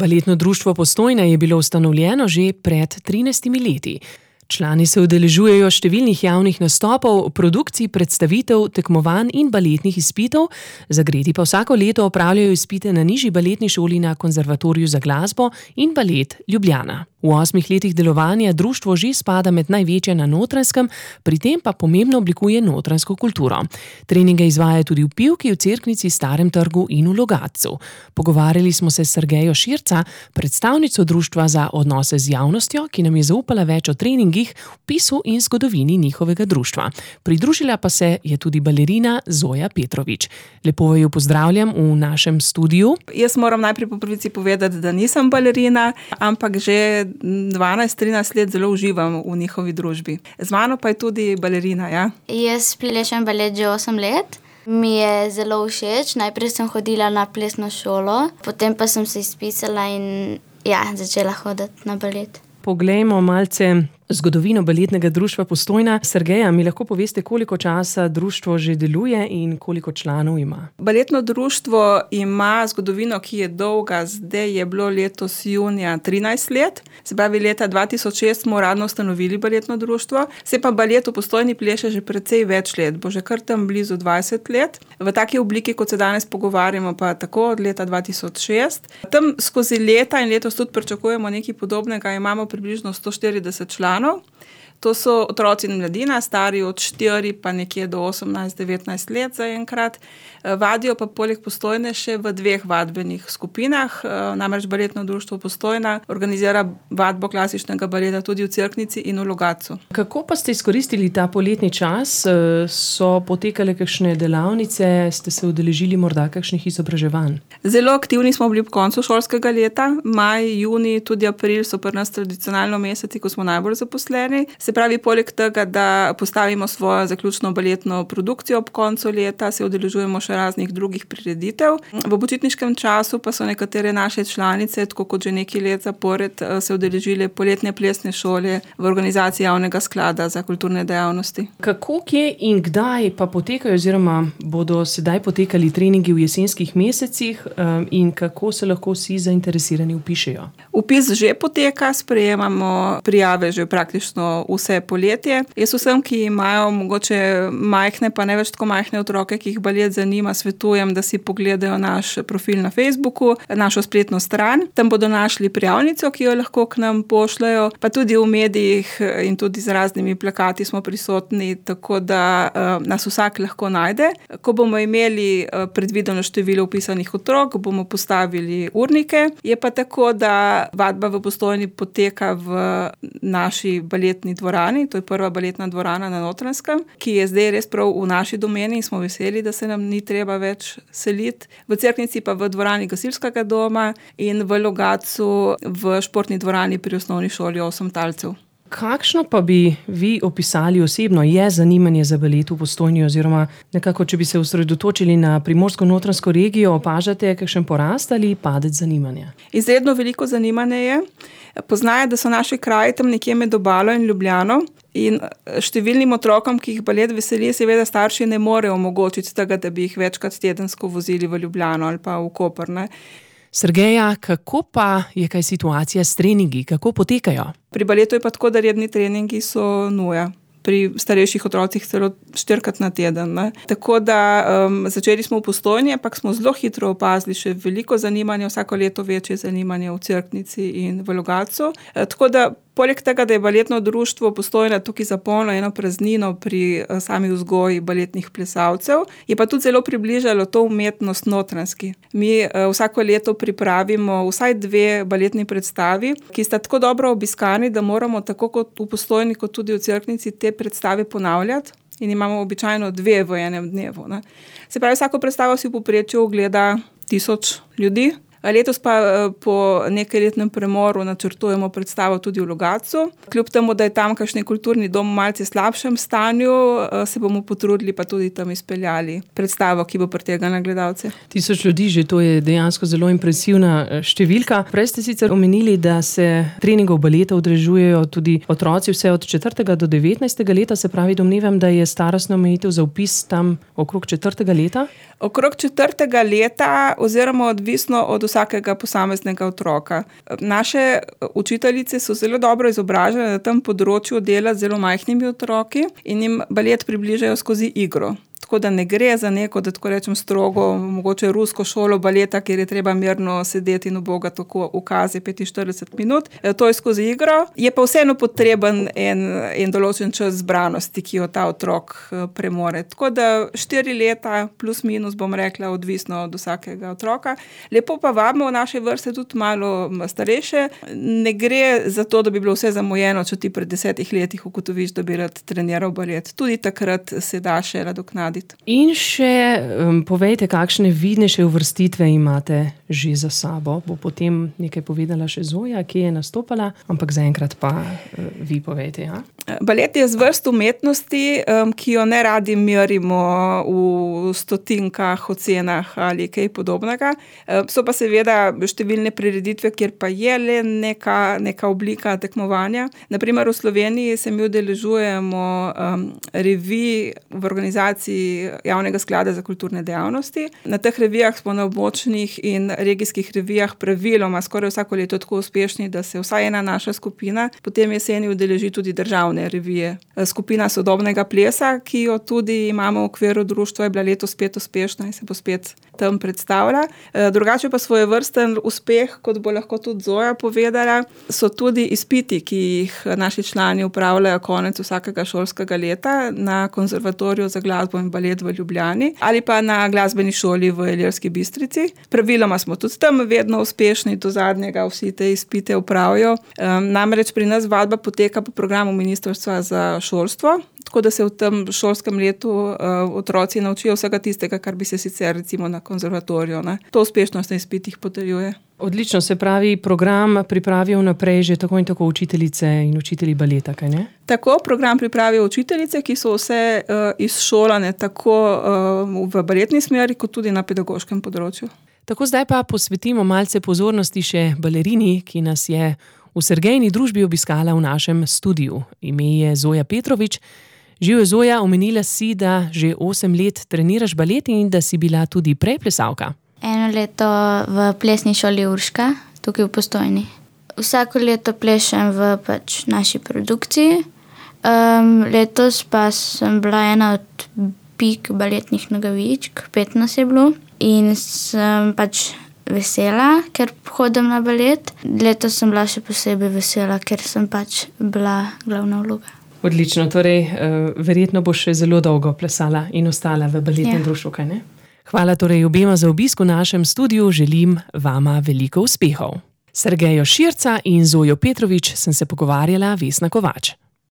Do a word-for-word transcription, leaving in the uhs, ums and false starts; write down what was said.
Baletno društvo Postojna je bilo ustanovljeno že pred trinajstimi leti. Člani se udeležujejo številnih javnih nastopov, produkcij, predstavitev, tekmovanj in baletnih izpitov, zagreti pa vsako leto opravljajo izpite na nižji baletni šoli na Konzervatoriju za glasbo in balet Ljubljana. V osmih letih delovanja društvo že spada med največje na Notranjskem, pri tem pa pomembno oblikuje notranjsko kulturo. Treninge izvaja tudi v Pivki, v Cerknici, Starem trgu in v Logatcu. Pogovarjali smo se s Sergejo Širca, predstavnico društva za odnose z javnostjo, ki nam je zaupala več o treningih, vpisu in zgodovini njihovega društva. Pridružila pa se je tudi balerina Zoja Petrovič. Lepo jo pozdravljam v našem studiu. Jaz moram najprej po prvici povedati, da nisem balerina, ampak že dvanajst trinajst let zelo uživam v njihovi družbi. Z mano pa je tudi balerina, ja? Jaz plešem balet že osem let. Mi je zelo všeč. Najprej sem hodila na plesno šolo, potem pa sem se izpisala in ja, začela hoditi na balet. Poglejmo malce zgodovino baletnega društva Postojna. Sergeja, mi lahko poveste, koliko časa društvo že deluje in koliko članov ima? Baletno društvo ima zgodovino, ki je dolga. Zdaj je bilo letos junija trinajst let. Se pravi, leta dva tisoč šest smo uradno ustanovili baletno društvo. Se pa balet v Postojni pleše že precej več let. Bo že kar tam blizu dvajset let. V taki obliki, kot se danes pogovarjamo, pa tako od leta dva tisoč šest. Tam skozi leta in letos tudi pričakujemo nekaj podobnega. Imamo približno sto štirideset članov. To so otroci in mladina, stari od štiri pa nekje do osemnajst devetnajst let zaenkrat. Vadijo pa poleg Postojne še v dveh vadbenih skupinah. Namreč Baletno društvo Postojna organizira vadbo klasičnega baleta tudi v Cerknici in v Logatcu. Kako pa ste izkoristili ta poletni čas? So potekale kakšne delavnice? Ste se udeležili morda kakšnih izobraževanj? Zelo aktivni smo bili v koncu šolskega leta. Maj, junij, tudi april so pri nas tradicionalno meseci, ko smo najbolj zaposleni. Se pravi, poleg tega, da postavimo svojo zaključno baletno produkcijo ob koncu leta, se udeležujemo še raznih drugih prireditev. V počitniškem času pa so nekatere naše članice, tako kot že nekaj let zapored, se udeležile poletne plesne šole v organizaciji Javnega sklada za kulturne dejavnosti. Kako, kje in kdaj pa potekajo oziroma bodo sedaj potekali treningi v jesenskih mesecih in kako se lahko vsi zainteresirani vpišejo? Vpis že poteka, sprejemamo prijave že praktično vse poletje. Jaz vsem, ki imajo mogoče majhne, pa ne več tako majhne otroke, ki jih balet zanima, svetujem, da si pogledajo naš profil na Facebooku, našo spletno stran. Tam bodo našli prijavnico, ki jo lahko k nam pošljajo, pa tudi v medijih in tudi z raznimi plakati smo prisotni, tako da uh, nas vsak lahko najde. Ko bomo imeli uh, predvideno število vpisanih otrok, bomo postavili urnike. Je pa tako, da vadba v Postojni poteka v naši baletni dvorani, to je prva baletna dvorana na Notranjskem, ki je zdaj res prav v naši domeni in smo veseli, da se nam ni treba več seliti. V Cerknici pa v dvorani gasilskega doma in v Logatcu v športni dvorani pri osnovni šoli osem talcev. Kakšno pa bi vi opisali osebno je zanimanje za balet v Postojni oziroma nekako, če bi se osredotočili na Primorsko-notranjsko regijo, opažate kakšen porast ali padec zanimanja? Izredno veliko zanimanje je. Poznajo, da so naši kraji tam nekje med Obalo in Ljubljano in številnim otrokom, ki jih balet veseli, seveda starši ne morejo omogočiti tega, da bi jih večkrat tedensko vozili v Ljubljano ali pa v Koper, ne. Sergeja, kako pa je kaj situacija s treningi? Kako potekajo? Pri baletu je pa tako, da redni treningi so nuja. Pri starejših otrocih celo štirikrat na teden. Ne? Tako da um, začeli smo v Postojni, ampak smo zelo hitro opazili še veliko zanimanja, vsako leto večje zanimanje v Cerknici in v Logatcu. E, tako da poleg tega, da je baletno društvo Postojna tukaj zapolnilo eno praznino pri sami vzgoji baletnih plesalcev, je pa tudi zelo približalo to umetnost notranjski. Mi uh, vsako leto pripravimo vsaj dve baletni predstavi, ki sta tako dobro obiskani, da moramo tako kot v Postojni, kot tudi v Cerknici te predstave ponavljati in imamo običajno dve v enem dnevu. Ne. Se pravi, vsako predstavo si v povprečju ogleda tisoč ljudi. Letos pa po nekajletnem premoru načrtujemo predstavo tudi v Logatcu. Kljub temu, da je tam kakšen kulturni dom v malce slabšem stanju, se bomo potrudili pa tudi tam izpeljali predstavo, ki bo pritegnila gledalce. Tisoč ljudi že, to je dejansko zelo impresivna številka. Prej ste sicer omenili, da se treningov baleta udeležujejo tudi otroci vse od četrtega do devetnajstega leta, se pravi, domnevam, da je starostna omejitev za vpis tam okrog četrtega leta? Okrog četrtega leta oziroma odvisno od vsakega posameznega otroka. Naše učiteljice so zelo dobro izobražene na tem področju dela z zelo majhnimi otroki in jim balet približajo skozi igro. Tako da ne gre za neko, da tako rečem, strogo, mogoče rusko šolo baleta, kjer je treba mirno sedeti in uboga tako ukazi petinštirideset minut. To je skozi igro. Je pa vseeno potreben en, en določen čas zbranosti, ki jo ta otrok premore. Tako da štiri leta plus minus, bom rekla, odvisno od vsakega otroka. Lepo pa vabimo v naše vrste tudi malo starejše. Ne gre za to, da bi bilo vse zamujeno, če ti pred desetih letih ugotoviš, da bi rad treniral balet. Tudi takrat se da še nadoknaditi. In še um, povejte, kakšne vidnejše uvrstitve imate že za sabo. Bo potem nekaj povedala še Zoja, ki je nastopala, ampak zaenkrat pa uh, vi povejte. Ja? Balet je zvrst umetnosti, um, ki jo ne radi merimo v stotinkah, ocenah ali kaj podobnega. Um, so pa seveda številne prireditve, kjer pa je le neka, neka oblika tekmovanja. Naprimer v Sloveniji se mi udeležujemo um, revij v organizaciji Javnega sklada za kulturne dejavnosti. Na teh revijah smo na območnih in regijskih revijah praviloma skoraj vsako leto tako uspešni, da se vsaj ena naša skupina potem jeseni udeleži tudi državne revije. Skupina sodobnega plesa, ki jo tudi imamo v okviru društva, je bila letos spet uspešna in se bo spet tam predstavlja. Drugače pa svojevrsten uspeh, kot bo lahko tudi Zoja povedala, so tudi izpiti, ki jih naši člani upravljajo konec vsakega šolskega leta na Konzervatoriju za glasbo in balet v Ljubljani ali pa na glasbeni šoli v Ilirski Bistrici. Praviloma smo tudi tam vedno uspešni, do zadnjega vsi te izpite upravijo. Um, namreč pri nas vadba poteka po programu Ministrstva za šolstvo, tako da se v tem šolskem letu uh, otroci naučijo vsega tistega, kar bi se sicer recimo na konzervatoriju. Ne? To uspešnost na izpitih potrjuje. Odlično, se pravi, program pripravijo naprej že tako in tako učiteljice in učitelji baleta, kaj ne? Tako, program pripravijo učiteljice, ki so vse uh, izšolane tako uh, v baletni smeri, kot tudi na pedagoškem področju. Tako, zdaj pa posvetimo malce pozornosti še balerini, ki nas je v Sergejini družbi obiskala v našem studiu. Ime je Zoja Petrovič. Živijo, Zoja, omenila si, da že osem let treniraš balet in da si bila tudi prej plesalka. Eno leto v plesni šoli Urška, tukaj v Postojni. Vsako leto plešem v pač naši produkciji. Um, letos pa sem bila ena od pik baletnih nogavičk, pet nas je bilo. In sem pač vesela, ker hodim na balet. Letos sem bila še posebej vesela, ker sem pač bila glavna vloga. Odlično, torej uh, verjetno boš še zelo dolgo plesala in ostala v baletnem ja. društvu, kaj ne? Hvala torej obema za obisk v našem studiu, želim vama veliko uspehov. Sergejo Širca in Zojo Petrovič sem se pogovarjala Vesna Kovač.